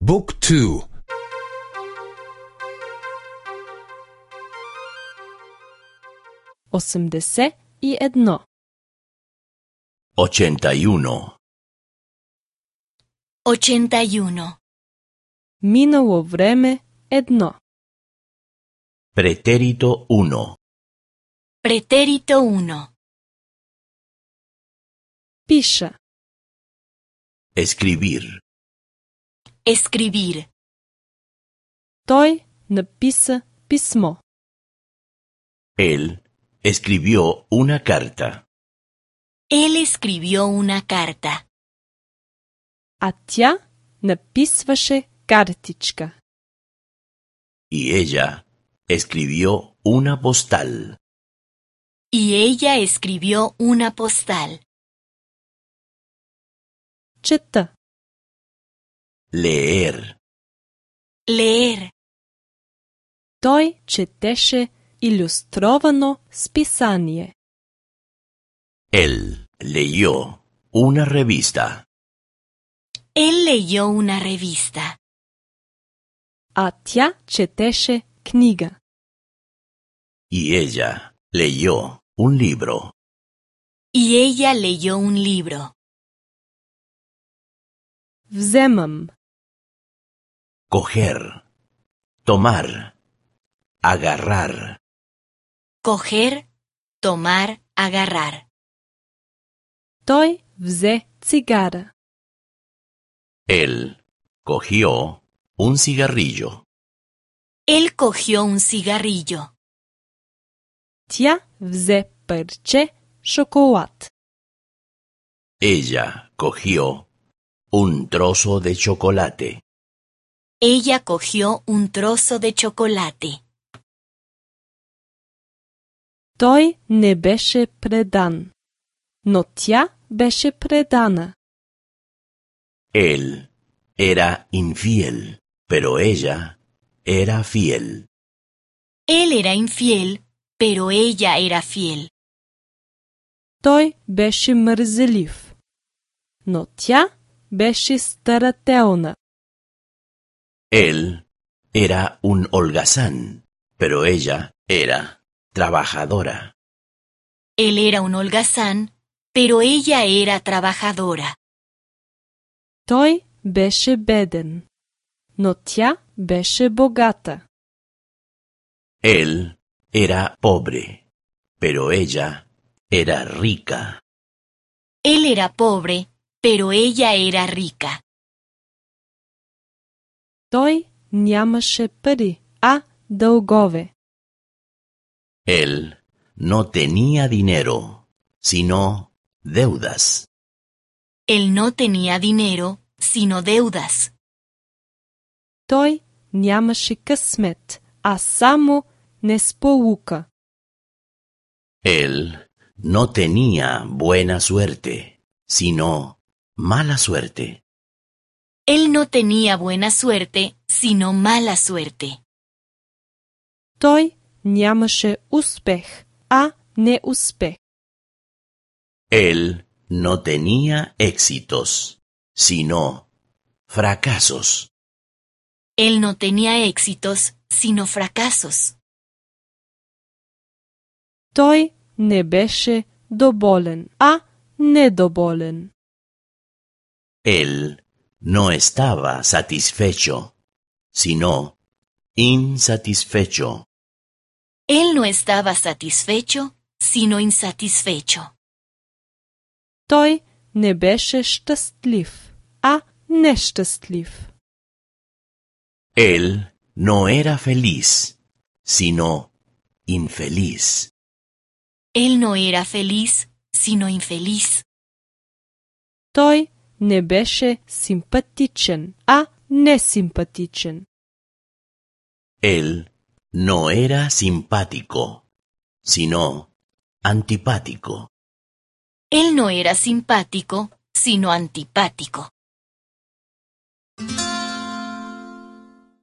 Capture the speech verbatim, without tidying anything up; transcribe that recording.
Book two. Осемдесет и едно. Ochenta y uno. Ochenta y uno. Минало време едно. Pretérito uno. Pretérito uno. Пиша. Escribir. Escribir. Той написа писмо. Él escribió una carta. Él escribió una carta. А тя написваше картичка. Y ella escribió una postal. Y ella escribió una postal. Чета. Leer. Leer. Той четеше илюстровано списание. Él leyó una revista. Él leyó una revista. А тя четеше книга. Y ella leyó un libro. Y ella leyó un libro. Вземам. Coger. Tomar. Agarrar. Coger, tomar, agarrar. Той взе цигара. Él cogió un cigarrillo. Él cogió un cigarrillo. Тя взе парче шоколад. Ella cogió un trozo de chocolate. Ella cogió un trozo de chocolate. Той не беше предан, но тя беше предана. Él era infiel, pero ella era fiel. Él era infiel, pero ella era fiel. Той беше мързелив, но тя беше старателна. Él era un holgazán, pero ella era trabajadora. Él era un holgazán, pero ella era trabajadora. Той беше беден, но тя беше богата. Él era pobre, pero ella era rica. Él era pobre, pero ella era rica. Той нямаше пари, а дългове. Él no tenía dinero, sino deudas. Él no tenía dinero, sino deudas. Той нямаше късмет, а само несполука. Él no tenía buena suerte, sino mala suerte. Él no tenía buena suerte, sino mala suerte. Той нямаше успех, а неуспех. Él no tenía éxitos, sino fracasos. Él no tenía éxitos, sino fracasos. Той не беше доволен, а недоволен. Él no estaba satisfecho, sino insatisfecho. Él no estaba satisfecho, sino insatisfecho. Той не беше щастлив, а нещастлив. Él no era feliz, sino infeliz. Él no era feliz, sino infeliz. Той не беше симпатичен, а несимпатичен. Él no era simpático, sino antipático. Él no era simpático, sino antipático.